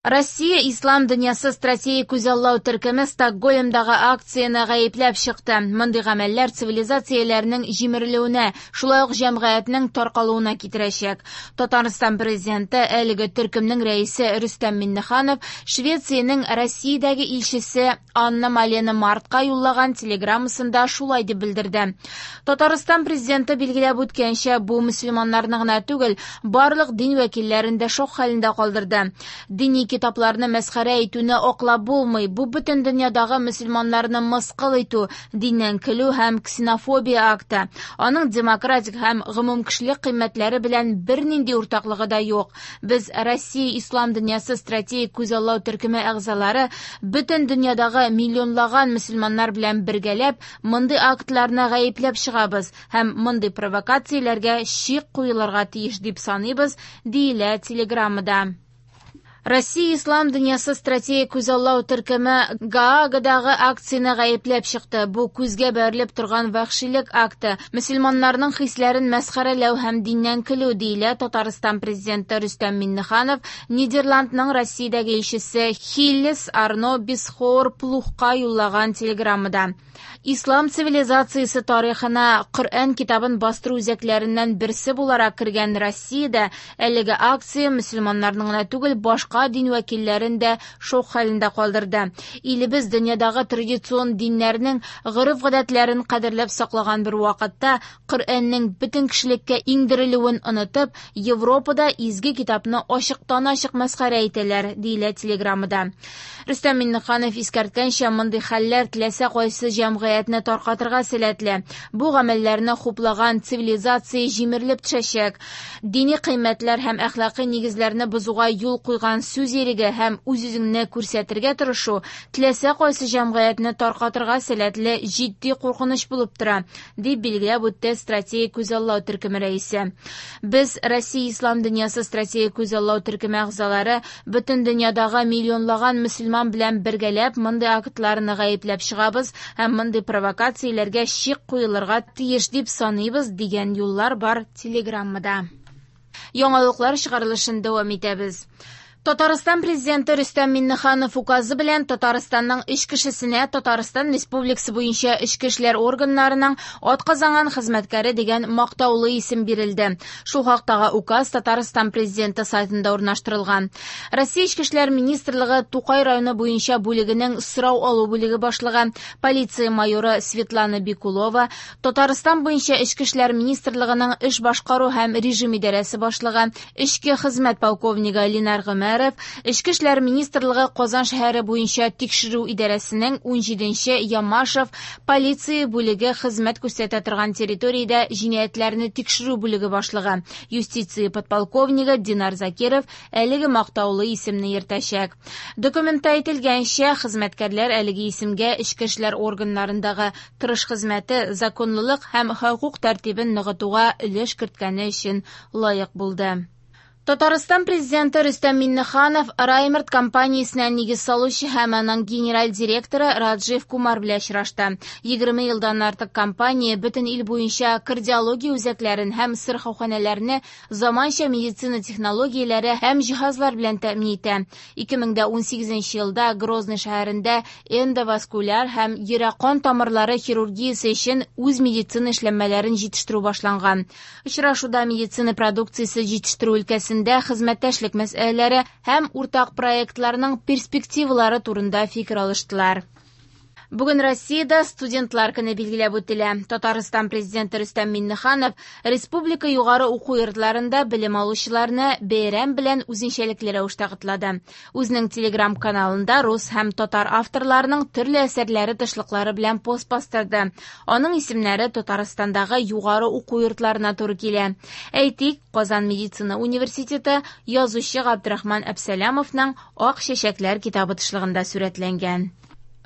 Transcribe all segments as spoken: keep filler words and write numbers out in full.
Россия Ислам дөньясы стратегик күзаллау төркеме Стокгольмдагы акцияне гаепләп чыкты. Мондый гамәлләр цивилизацияләрнең җимерелүенә, шулай ук җәмгыятьнең таркалуына китерәчәк. Татарстан президенты, әлеге төркемнең рәисе Рөстәм Миңнеханов Швециянең Россиядәге илчесе Анна Малена Мартка юллаган телеграммасында шулай дип белдерде. Татарстан президенты билгеләп үткәнчә, бу мөселманнарны гына түгел, барлык дин вәкилләрен дә шок хәлендә калдырды. Дини китапларны мәсхәрә итүне аклап булмый. Бу бөтен дөньядагы мөселманнарны мыскыл итү, диннән көлү һәм ксенофобия акты. Аның демократик һәм гомумкешелек кыйммәтләре белән бернинди уртаклыгы да юк. Без Россия Ислам дөньясы стратегик күзаллау төркеме әгъзалары бөтен дөньядагы миллионлаган мөселманнар белән бергәләп мондый актларны гаепләп чыгабыз һәм мондый провокацияләргә чик куелырга тиеш дип саныйбыз, диелә телеграммада. Россия Ислам дөньясы стратегик күзаллау төркеме Гаагадагы акцияне гаепләп чыкты. Бу күзгә бәрелеп торган вәхшилек акты. Мөселманнарның хисләрен мәсхәрәләү һәм диннән көлү, диелә Татарстан президенты Рөстәм Миңнеханов Нидерландның Россиядәге илчесе Хиллес Арно Бисхоор Плухка юллаган телеграммада. Ислам цивилизациясе тарихына Коръән китабын бастыру үзәкләреннән берсе буларак кергән Россиядә әлеге акция мөселманнарның гына түгел, башка дин вәкилләрен дә шок хәлендә калдырды. Илебез дөньядагы традицион диннәрнең гореф-гадәтләрен кадерләп саклаган бер вакытта Коръәннең бөтен кешелеккә иңдерелүен онытып, Европада изге китапны ачыктан-ачык мәсхәрә итәләр, диелә телеграммада. Рөстәм Миңнеханов искәрткәнчә, мондый хәлләр теләсә кайсы җәмгыятьне таркатырга сәләтле. Бу гамәлләрне хуплаган цивилизация җимерелеп төшәчәк. Дини кыйммәтләр һәм әхлакый нигезләрне бозуга юл куйган сүз иреге һәм үз-үзеңне күрсәтергә тырышу теләсә кайсы җәмгыятьне таркатырга сәләтле җитди куркыныч булып тора, дип билгеләп үтте стратегик күзаллау төркеме рәисе. Без Россия Ислам дөньясы стратегик күзаллау төркеме әгъзалары бөтен дөньядагы миллионлаган мөселман белән бергәләп мондый актларны гаепләп чыгабыз һәм мондый провокацияләргә чик куелырга тиеш дип саныйбыз, дигән юллар бар телеграммада. Яңалыклар чыгарылышын дәвам итәбез. Татарстан президенты Рөстәм Миңнеханов указы белән Татарстанның өч кешесенә Татарстан Республикасы буенча эчке эшләр органнарының атказанган хезмәткәре дигән мактаулы исем бирелде. Шул хактагы указ Татарстан президенты сайтында урнаштырылган. Россия Эчке эшләр министрлыгы Тукай районы буенча бүлегенең сорау алу бүлеге башлыгы, полиция майоры Светлана Бикулова, Татарстан буенча Эчке эшләр министрлыгының эш башкару һәм режим идарәсе башлыгы, эчке хезмәт полковнигы Ленар Гомәров, Эчке эшләр министрлыгы Казан шәһәре буенча тикшерү идарәсенең ун җиденче Ямашев полиция бүлеге хезмәт күрсәтә торган территориядә җинаятьләрне тикшерү бүлеге башлыгы, юстиция подполковнигы Динар Закиров әлеге мактаулы исемне йөртәчәк. Документта әйтелгәнчә, хезмәткәрләр әлеге исемгә эчке эшләр органнарындагы тырыш хезмәте, законлылык һәм хокук тәртибен ныгытуга өлеш керткәне өчен лаек булды. Татарстан президенты Рөстәм Миңнеханов Раймерт компаниясенә нигез салучы һәм аның генераль директоры Раджив Кумар белән очрашты. Егерме елдан артык компания бөтен ил буенча кардиология үзәкләрен һәм сырхауханәләрне заманча медицина технологияләре һәм җиһазлар белән тәэмин итә. Ике мең дә унсигезенче елда Грозный шәһәрендә эндоваскуляр һәм йөрәк-кан тамырлары хирургиясе өчен үз медицина эшләнмәләрен җитештерү башланган. Очрашуда медицина продукциясе җитештерү өлкәсендә хезмәттәшлек мәсьәләләре һәм уртак проектларның перспективалары турында фикер алыштылар. Бүген Россиядә студентлар көне билгеләп үтелә. Татарстан президенты Рөстәм Миңнеханов республика югары уку йортларында белем алучыларны бәйрәм белән үзенчәлекле рәвештә котлады. Үзенең телеграм-каналында рус һәм татар авторларының төрле әсәрләре тышлыклары белән пост бастырды. Аның исемнәре Татарстандагы югары уку йортларына туры килә. Әйтик, Казан медицина университеты язучы Габдрахман Әпсәләмовның Ак чәчәкләр китабы тышлыгында сурәтләнгән.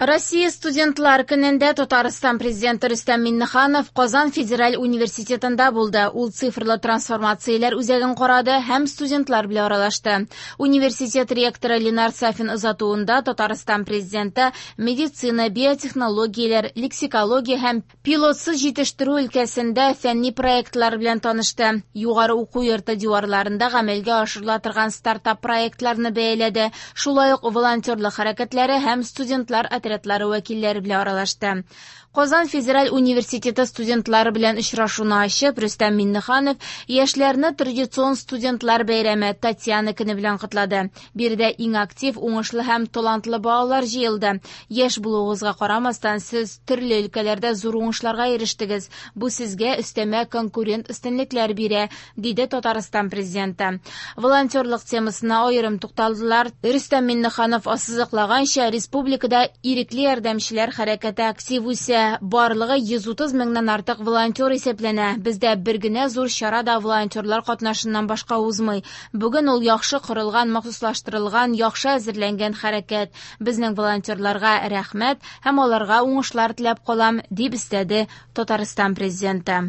Россия студентлар көнендә Татарстан президенты Рөстәм Миңнеханов Казан федераль университетында булды. Ул цифрлы трансформацияләр үзәген карады һәм студентлар белән аралашты. Университет ректоры Ленар Сафин озатуында Татарстан президенты медицина, биотехнологияләр, лексикология һәм пилотсыз җитештерү өлкәсендә фәнни проектлар белән танышты. Югары уку йорты диварларында гамәлгә ашырыла торган стартап проектларны бәяләде. Шулай ук волонтерлык хәрәкәтләре һәм студентлар отрядлары вәкилләре белән аралашты. Казан федераль университеты студентлары белән очрашуны ачып, Рөстәм Миңнеханов яшьләрне традицион студентлар бәйрәме Татьяна көне белән котлады. Биредә иң актив, уңышлы һәм талантлы балалар җыелды. Яшь булуыгызга карамастан, сез төрле өлкәләрдә зур уңышларга ирештегез. Бу сезгә өстәмә конкурент өстенлекләр бирә, диде Татарстан президенты. Волонтерлык темасына аерым тукталдылар. Рөстәм Миңнеханов ассызыклаганча, республикада ирекле ярдәмчеләр хәрәкәте актив үсә. Барлыгы йөз утыз меңнән артык волонтер исәпләнә. Бездә бер генә зур чара да волонтерлар катнашыннан башка узмый. Бүген ул яхшы корылган, махсуслаштырылган, яхшы әзерләнгән хәрәкәт. Безнең волонтерларга рәхмәт һәм аларга уңышлар теләп калам, дип өстәде Татарстан президенты.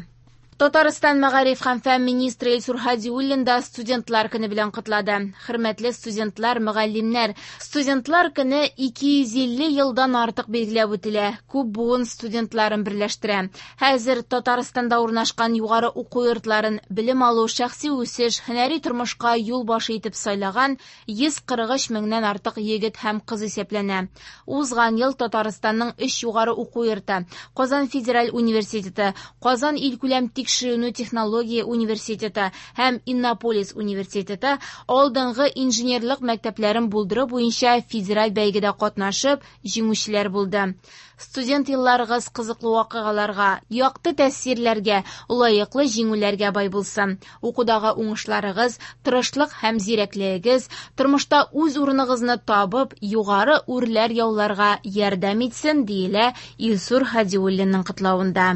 Татарстан мәгариф һәм фән министры Илсур Һадиуллин да студентлар көне белән котлады. Хөрмәтле студентлар, мөгаллимнәр, студентлар көне ике йөз илле елдан артык билгеләп үтелә. Күп буын студентларын берләштерә. Хәзер Татарстанда урнашкан югары уку йортларын белем алу, шәхси үсеш, һөнәри тормышка юл башы итеп сайлаган йөз кырык өч меңнән артык егет һәм кыз исәпләнә. Узган ел Татарстанның өч югары уку йорты, Казан федераль университеты, Казан илкүләм тикшеренү технология университеты һәм Иннополис университеты алдынгы инженерлык мәктәпләрен булдыру буенча федераль бәйгедә катнашып, җиңүчеләр булды. Студент елларыгыз кызыклы вакыйгаларга, якты тәэсирләргә, лаеклы җиңүләргә бай булсын. Укудагы уңышларыгыз, тырышлык һәм зирәклегегез тормышта үз урыныгызны табып, югары үрләр яуларга ярдәм итсен, диелә Илсур Һадиуллинның котлавында.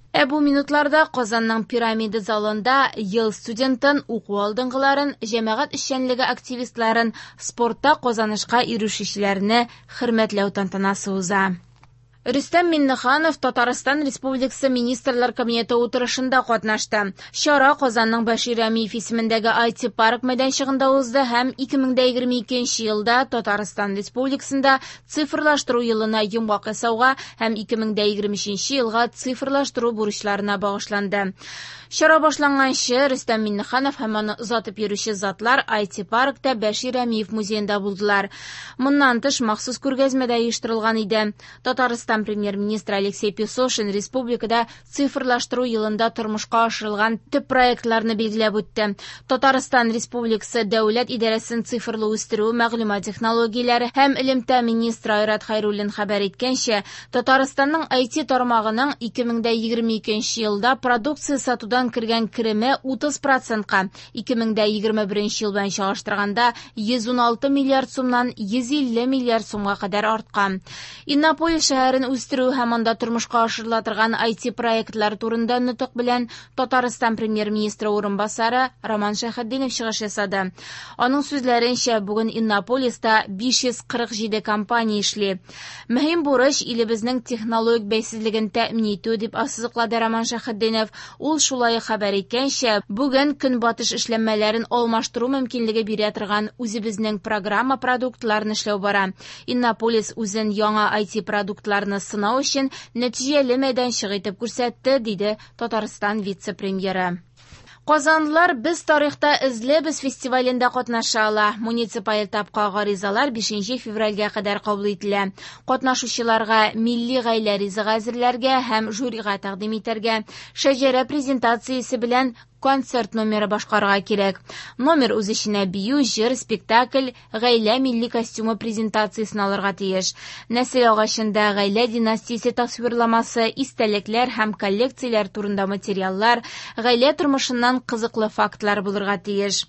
Ә бу минутларда Казанның пирамида залында ел студентын, уку алдынгыларын, җәмәгать эшчәнлеге активистларын, спортта казанышка ирешүчеләрне хөрмәтләү тантанасы уза. Рөстәм Миңнеханов Татарстан Республикасы Министрлар Кабинеты утырышында катнашты. Чара Казанның Бәшир Рәмиев исемендәге ай ти парк мәйданчыгында узды һәм ике мең дә егерме икенче елда Татарстан Республикасында цифрлаштыру елына йомгак ясауга һәм ике мең дә егерме өченче елга цифрлаштыру бурычларына багышланды. Чара башланганчы Рөстәм Миңнеханов һәм аны озатып йөрүче затлар ай ти паркта Бәшир Рәмиев музеенда булдылар. Моннан тыш махсус күргәзмә дә оештырылган иде. Татарстан премьер-министры Алексей Песошин республикада цифрлаштыру елында тормышка ашырылган төп проектларны билгеләп үтте. Татарстан Республикасы Дәүләт идарәсен цифрлы үстерү, мәгълүмат технологияләре һәм элемтә министры Айрат Хәйруллин хәбәр иткәнчә, Татарстанның ай ти тармагының ике мең дә егерме икенче елда продукция сатудан кергән кереме утыз процентка, ике мең дә егерме беренче ел белән чагыштырганда йөз ун алты миллиард сумнан йөз илле миллиард сумга кадәр арткан. Иннополис шәһәрен үстерү һәм анда тормышка ашырыла торган ай ти проектлар турында нотык белән Татарстан премьер-министры урынбасары Роман Шәйхетдинов чыгыш ясады. Аның сүзләренчә, бүген Иннополиста биш йөз кырык җиде компания эшли. Мөһим бурыч илебезнең технологик бәйсезлеген тәэмин итү, дип ассызыклады Роман Шәйхетдинов. Ул шулай хәбәр иткәнчә, бүген көнбатыш эшләнмәләрен алмаштыру мөмкинлеге бирә торган үзебезнең программа продуктларын эшләү бара. Иннополис үзен яңа ай ти продуктларны сынау өчен нәтиҗәле мәйданчык итеп күрсәтте, диде Татарстан вице-премьеры. Казанлылар Без тарихта эзлебез фестивалендә катнаша ала. Муниципаль этапка гаризалар бишенче февральгә кадәр кабул ителә. Катнашучыларга милли гаилә ризыгы әзерләргә һәм жюрига тәкъдим итәргә, шәҗәрә презентациясе белән концерт номеры башкарырга кирәк. Номер үз эченә бию, җыр, спектакль, гаилә милли костюмы презентациясен алырга тиеш. Нәсел агачында гаилә династиясе тасвирламасы, истәлекләр һәм коллекцияләр турында материаллар, гаилә тормышыннан кызыклы фактлар булырга тиеш.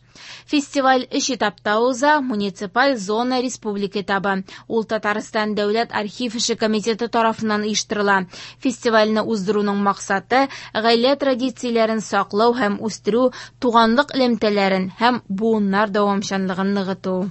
Фестиваль өч этапта уза: муниципаль, зона, республика этабы. Ул Татарстан Дәүләт архив эше комитеты тарафыннан оештырыла. Фестивальне уздыруның максаты гаилә традицияләрен саклау һәм үстерү, туганлык элемтәләрен һәм буыннар дәвамчанлыгын ныгыту.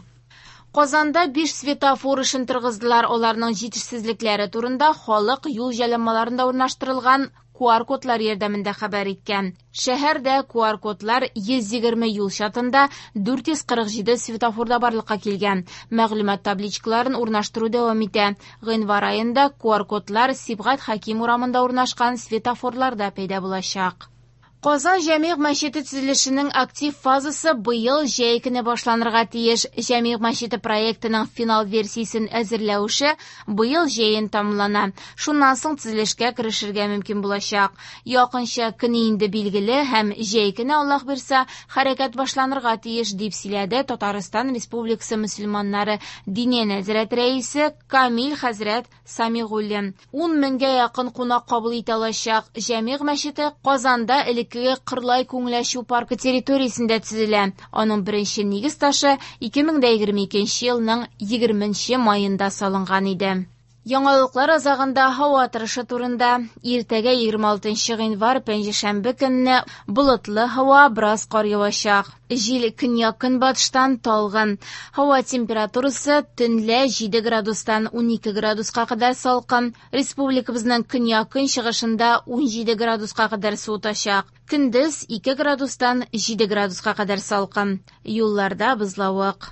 Казанда биш светофор эшен торгыздылар. Аларның җитешсезлекләре турында халык юл җайланмаларында урнаштырылган Q R кодлар ярдәмендә хәбәр иткән. Шәһәрдә Q R кодлар йөз егерме юл чатында дүрт йөз кырык җиде светофорда барлыкка килгән. Мәгълүмат табличкаларын урнаштыру дәвам итә. Гыйнвар аенда Q R кодлар Сибгат Хәким урамында урнашкан светофорларда пәйда булачак. Казан Җәмигъ мәчете төзелешенең актив фазасы быел җәй көне башланырга тиеш. Җәмигъ мәчете проектының финал версиясен әзерләү эше быел җәен тәмамлана. Шуннан соң төзелешкә керешергә мөмкин булачак. Якынча көне инде билгеле һәм җәй көне Аллаһ бирсә хәрәкәт башланырга тиеш, дип сөйләде Татарстан Республикасы мөселманнары Диния нәзарәте рәисе Камил хәзрәт Самигуллин. Ун меңгә якын кунак кабул итә алачак Җәмигъ мәчете Казанда элек Кырлай күңел ачу паркы территориясендә төзелә. Аның беренче нигез ташы ике мең дә егерме икенче елның егерменче маенда салынган иде. Яңалыклар азагында һава торышы турында. Иртәгә егерме алтынчы гыйнвар пәнҗешәмбе көнне болытлы һава, бераз кар явачак. Җил көньяк-көнбатыштан талгын. Һава температурасы төнлә җиде градустан унике градуска кадәр салкын. Республикабызның көньяк-көнчыгышында унҗиде градуска кадәр суытачак. Көндез ике градустан җиде градуска кадәр салкын. Юлларда бозлавык.